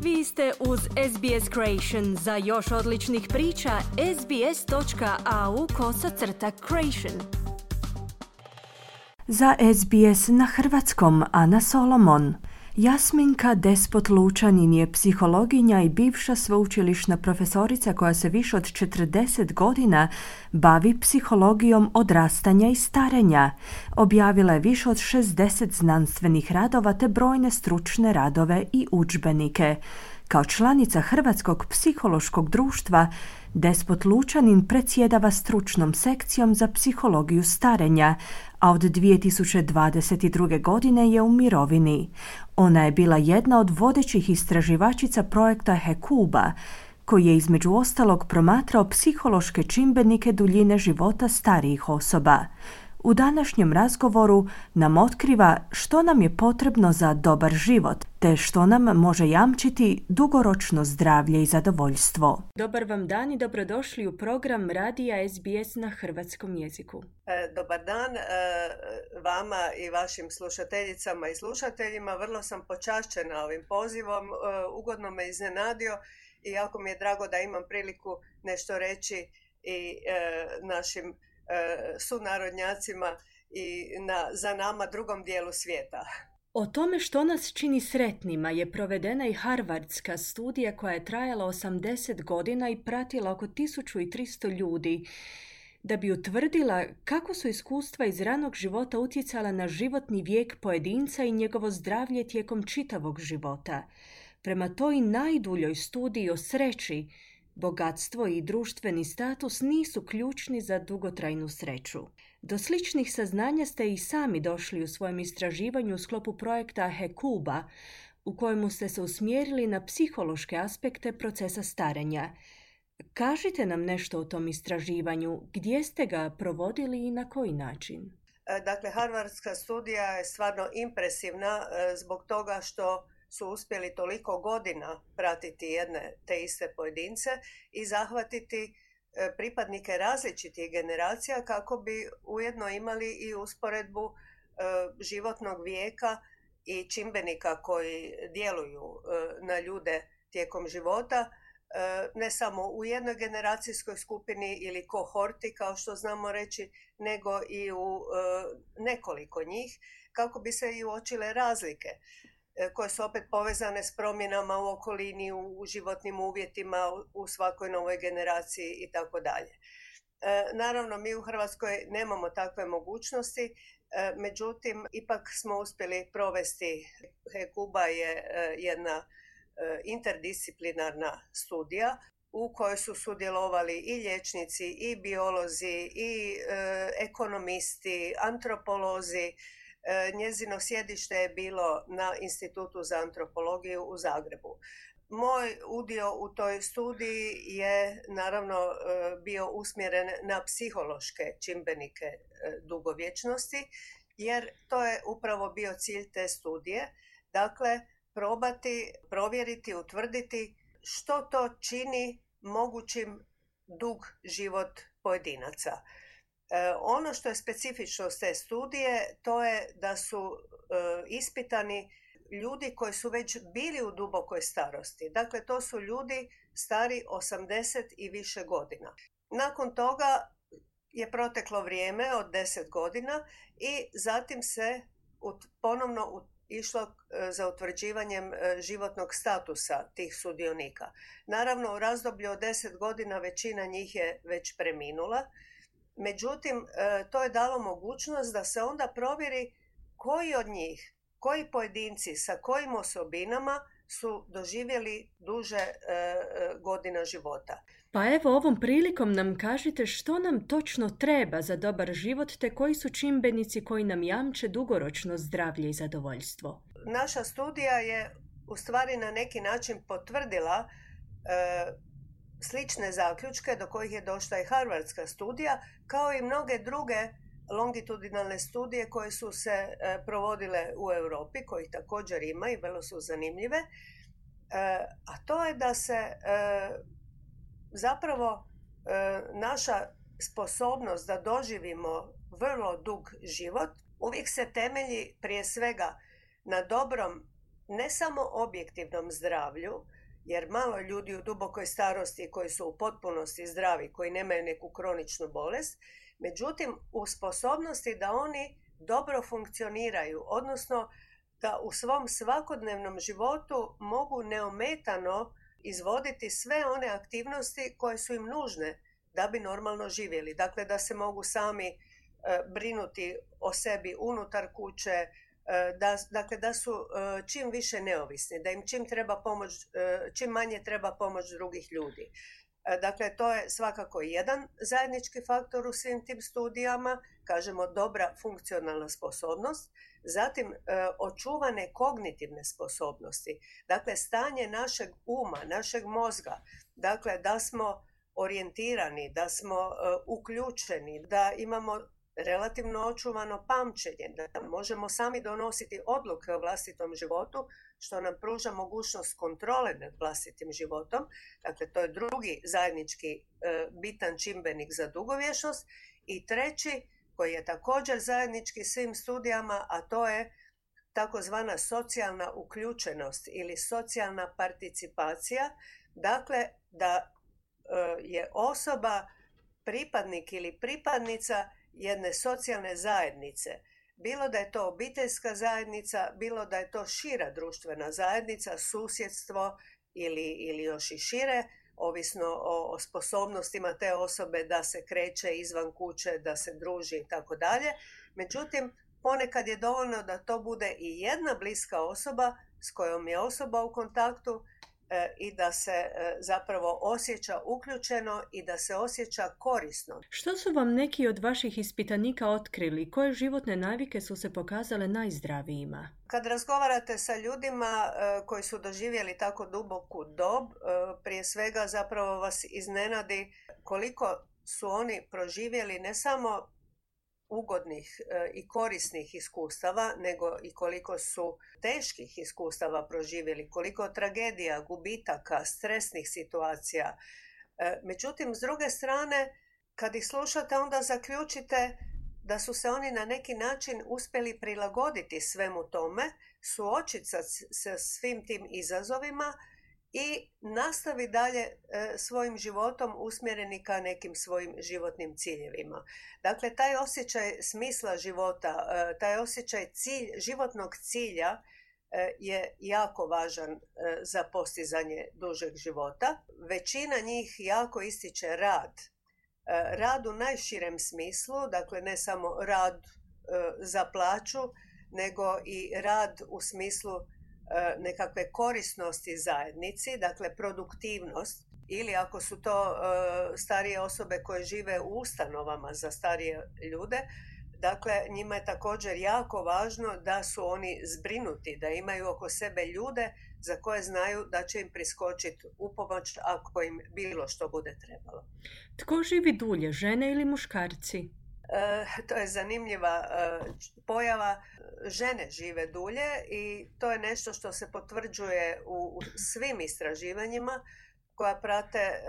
Vi ste uz SBS Creation. Za još odličnih priča, sbs.au/creation. Za SBS na hrvatskom Ana Solomon. Jasminka Despot Lučanin je psihologinja i bivša sveučilišna profesorica koja se više od 40 godina bavi psihologijom odrastanja i starenja. Objavila je više od 60 znanstvenih radova te brojne stručne radove i udžbenike. Kao članica Hrvatskog psihološkog društva, Despot Lučanin predsjedava stručnom sekcijom za psihologiju starenja, a od 2022. godine je u mirovini. Ona je bila jedna od vodećih istraživačica projekta Hekuba, koji je između ostalog promatrao psihološke čimbenike duljine života starijih osoba. U današnjem razgovoru nam otkriva što nam je potrebno za dobar život, te što nam može jamčiti dugoročno zdravlje i zadovoljstvo. Dobar vam dan i dobrodošli u program radija SBS na hrvatskom jeziku. Dobar dan vama i vašim slušateljicama i slušateljima. Vrlo sam počašćena ovim pozivom, ugodno me iznenadio i jako mi je drago da imam priliku nešto reći i našim sunarodnjacima i za nama drugom dijelu svijeta. O tome što nas čini sretnima je provedena i harvardska studija koja je trajala 80 godina i pratila oko 1300 ljudi da bi utvrdila kako su iskustva iz ranog života utjecala na životni vijek pojedinca i njegovo zdravlje tijekom čitavog života. Prema toj najduljoj studiji o sreći, bogatstvo i društveni status nisu ključni za dugotrajnu sreću. Do sličnih saznanja ste i sami došli u svojem istraživanju u sklopu projekta Hekuba, u kojemu ste se usmjerili na psihološke aspekte procesa starenja. Kažite nam nešto o tom istraživanju, gdje ste ga provodili i na koji način? Dakle, harvardska studija je stvarno impresivna zbog toga što su uspjeli toliko godina pratiti jedne te iste pojedince i zahvatiti pripadnike različitih generacija kako bi ujedno imali i usporedbu životnog vijeka i čimbenika koji djeluju na ljude tijekom života, ne samo u jednoj generacijskoj skupini ili kohorti, kao što znamo reći, nego i u nekoliko njih, kako bi se i uočile razlike koje su opet povezane s promjenama u okolini, u životnim uvjetima, u svakoj novoj generaciji i tako dalje. Naravno, mi u Hrvatskoj nemamo takve mogućnosti, međutim, ipak smo uspjeli provesti. Hekuba je jedna interdisciplinarna studija u kojoj su sudjelovali i liječnici, i biolozi, i ekonomisti, antropolozi. Njezino sjedište je bilo na Institutu za antropologiju u Zagrebu. Moj udio u toj studiji je naravno bio usmjeren na psihološke čimbenike dugovječnosti, jer to je upravo bio cilj te studije. Dakle, probati, provjeriti, utvrditi što to čini mogućim dug život pojedinaca. Ono što je specifičnost te studije, to je da su ispitani ljudi koji su već bili u dubokoj starosti. Dakle, to su ljudi stari 80 i više godina. Nakon toga je proteklo vrijeme od 10 godina i zatim se ponovno išlo za utvrđivanjem životnog statusa tih sudionika. Naravno, u razdoblju od 10 godina većina njih je već preminula. Međutim, to je dalo mogućnost da se onda provjeri koji od njih, koji pojedinci sa kojim osobinama su doživjeli duže godina života. Pa evo, ovom prilikom nam kažite što nam točno treba za dobar život, te koji su čimbenici koji nam jamče dugoročno zdravlje i zadovoljstvo. Naša studija je u stvari na neki način potvrdila slične zaključke do kojih je došla i harvardska studija, kao i mnoge druge longitudinalne studije koje su se provodile u Europi, kojih također ima i vrlo su zanimljive. A to je da se zapravo naša sposobnost da doživimo vrlo dug život uvijek se temelji prije svega na dobrom ne samo objektivnom zdravlju, jer malo ljudi u dubokoj starosti koji su u potpunosti zdravi, koji nemaju neku kroničnu bolest, međutim u sposobnosti da oni dobro funkcioniraju, odnosno da u svom svakodnevnom životu mogu neometano izvoditi sve one aktivnosti koje su im nužne da bi normalno živjeli. Dakle, da se mogu sami brinuti o sebi unutar kuće, da su čim više neovisni, da im čim manje treba pomoć drugih ljudi. Dakle, to je svakako jedan zajednički faktor u svim tim studijama, kažemo dobra funkcionalna sposobnost, zatim očuvane kognitivne sposobnosti, dakle stanje našeg uma, našeg mozga, dakle da smo orijentirani, da smo uključeni, da imamo relativno očuvano pamćenje, da možemo sami donositi odluke o vlastitom životu, što nam pruža mogućnost kontrole nad vlastitim životom. Dakle, to je drugi zajednički bitan čimbenik za dugovječnost. I treći, koji je također zajednički svim studijama, a to je takozvana socijalna uključenost ili socijalna participacija. Dakle, da je osoba pripadnik ili pripadnica jedne socijalne zajednice. Bilo da je to obiteljska zajednica, bilo da je to šira društvena zajednica, susjedstvo ili još i šire, ovisno o sposobnostima te osobe da se kreće izvan kuće, da se druži i tako dalje. Međutim, ponekad je dovoljno da to bude i jedna bliska osoba s kojom je osoba u kontaktu i da se zapravo osjeća uključeno i da se osjeća korisno. Što su vam neki od vaših ispitanika otkrili? Koje životne navike su se pokazale najzdravijima? Kad razgovarate sa ljudima koji su doživjeli tako duboku dob, prije svega zapravo vas iznenadi koliko su oni proživjeli ne samo ugodnih i korisnih iskustava, nego i koliko su teških iskustava proživjeli, koliko tragedija, gubitaka, stresnih situacija. Međutim, s druge strane, kad ih slušate, onda zaključite da su se oni na neki način uspjeli prilagoditi svemu tome, suočiti sa svim tim izazovima i nastavi dalje svojim životom usmjereni ka nekim svojim životnim ciljevima. Dakle, taj osjećaj smisla života, taj osjećaj životnog cilja je jako važan za postizanje dužeg života. Većina njih jako ističe rad. Rad u najširem smislu, dakle ne samo rad za plaću, nego i rad u smislu nekakve korisnosti zajednici, dakle produktivnost, ili ako su to starije osobe koje žive u ustanovama za starije ljude, dakle njima je također jako važno da su oni zbrinuti, da imaju oko sebe ljude za koje znaju da će im priskočiti u pomoć ako im bilo što bude trebalo. Tko živi dulje, žene ili muškarci? To je zanimljiva pojava. Žene žive dulje i to je nešto što se potvrđuje u svim istraživanjima koja prate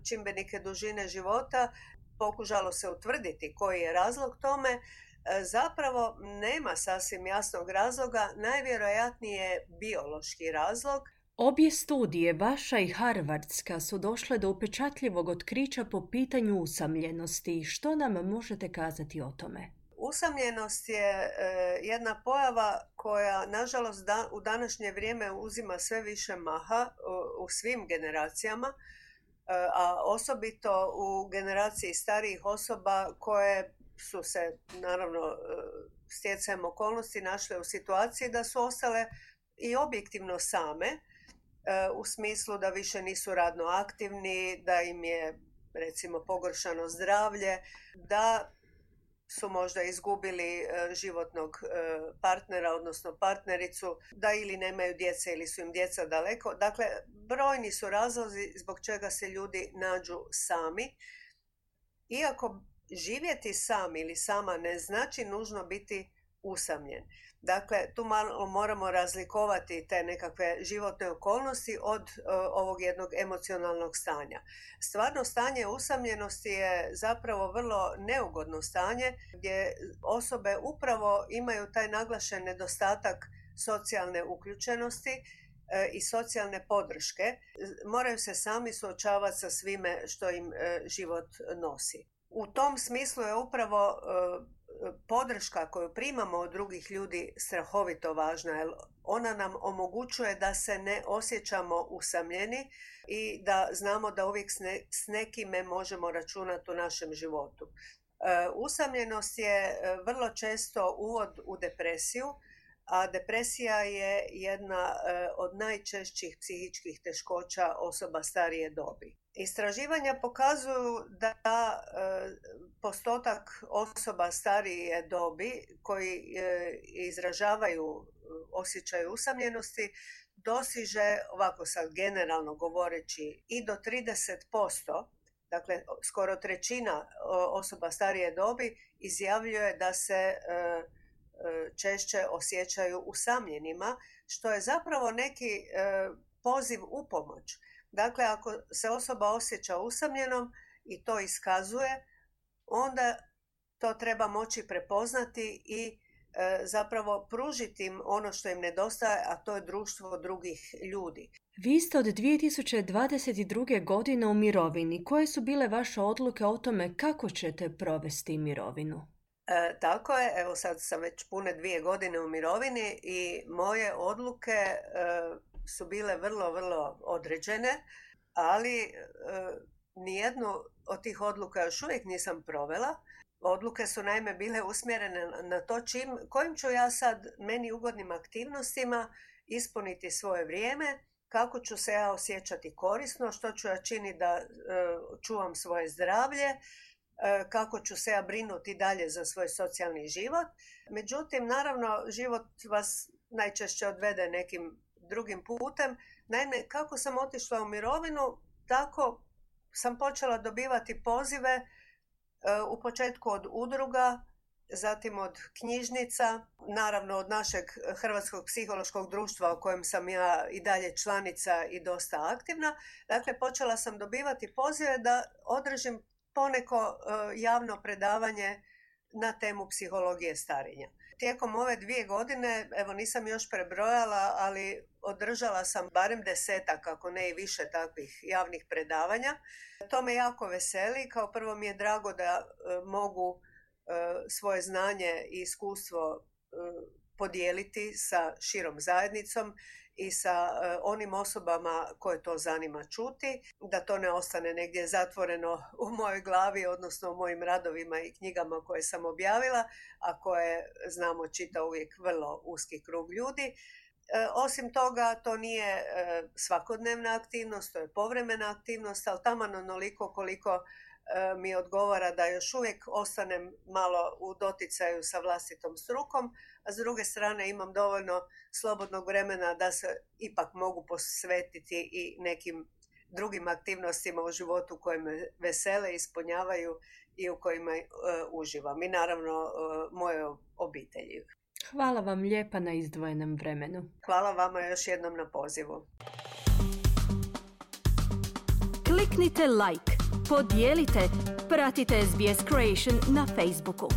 čimbenike dužine života. Pokušalo se utvrditi koji je razlog tome. Zapravo nema sasvim jasnog razloga, najvjerojatnije je biološki razlog. Obje studije, vaša i harvardska, su došle do upečatljivog otkrića po pitanju usamljenosti. Što nam možete kazati o tome? Usamljenost je jedna pojava koja, nažalost, u današnje vrijeme uzima sve više maha u svim generacijama, a osobito u generaciji starijih osoba koje su se, naravno, stjecajem okolnosti našle u situaciji da su ostale i objektivno same, u smislu da više nisu radno aktivni, da im je, recimo, pogoršano zdravlje, da su možda izgubili životnog partnera, odnosno partnericu, da ili nemaju djece ili su im djeca daleko. Dakle, brojni su razlozi zbog čega se ljudi nađu sami. Iako živjeti sam ili sama ne znači nužno biti usamljen. Dakle, tu malo moramo razlikovati te nekakve životne okolnosti od ovog jednog emocionalnog stanja. Stvarno stanje usamljenosti je zapravo vrlo neugodno stanje gdje osobe upravo imaju taj naglašen nedostatak socijalne uključenosti i socijalne podrške. Moraju se sami suočavati sa svime što im život nosi. U tom smislu je upravo podrška koju primamo od drugih ljudi strahovito važna, jer ona nam omogućuje da se ne osjećamo usamljeni i da znamo da uvijek s nekime možemo računati u našem životu. Usamljenost je vrlo često uvod u depresiju, a depresija je jedna od najčešćih psihičkih teškoća osoba starije dobi. Istraživanja pokazuju da postotak osoba starije dobi koji izražavaju osjećaj usamljenosti dosiže, ovako sad generalno govoreći, i do 30%. Dakle, skoro trećina osoba starije dobi izjavljuje da se češće osjećaju usamljenima, što je zapravo neki poziv u pomoć. Dakle, ako se osoba osjeća usamljenom i to iskazuje, onda to treba moći prepoznati i zapravo pružiti im ono što im nedostaje, a to je društvo drugih ljudi. Vi ste od 2022. godine u mirovini. Koje su bile vaše odluke o tome kako ćete provesti mirovinu? Tako je, evo sad sam već pune 2 godine u mirovini i moje odluke su bile vrlo, vrlo određene, ali nijednu od tih odluka još uvijek nisam provela. Odluke su naime bile usmjerene na to kojim ću ja sad meni ugodnim aktivnostima ispuniti svoje vrijeme, kako ću se ja osjećati korisno, što ću ja činiti da čuvam svoje zdravlje, kako ću se ja brinuti dalje za svoj socijalni život. Međutim, naravno, život vas najčešće odvede nekim drugim putem. Naime, kako sam otišla u mirovinu, tako sam počela dobivati pozive u početku od udruga, zatim od knjižnica, naravno od našeg Hrvatskog psihološkog društva u kojem sam ja i dalje članica i dosta aktivna. Dakle, počela sam dobivati pozive da održim poneko javno predavanje na temu psihologije starenja. Tijekom ove 2 godine, evo nisam još prebrojala, ali održala sam barem 10-ak, ako ne i više takvih javnih predavanja. To me jako veseli. Kao prvo mi je drago da mogu svoje znanje i iskustvo podijeliti sa širom zajednicom i sa onim osobama koje to zanima čuti, da to ne ostane negdje zatvoreno u mojoj glavi, odnosno u mojim radovima i knjigama koje sam objavila, a koje znamo čita uvijek vrlo uski krug ljudi. Osim toga, to nije svakodnevna aktivnost, to je povremena aktivnost, ali taman onoliko koliko mi odgovara da još uvijek ostanem malo u doticaju sa vlastitom strukom, a s druge strane imam dovoljno slobodnog vremena da se ipak mogu posvetiti i nekim drugim aktivnostima u životu koje me vesele, ispunjavaju i u kojima uživam. I naravno moje obitelji. Hvala vam lijepa na izdvojenom vremenu. Hvala vama još jednom na pozivu. Kliknite like, podijelite, pratite SBS Creation na Facebooku.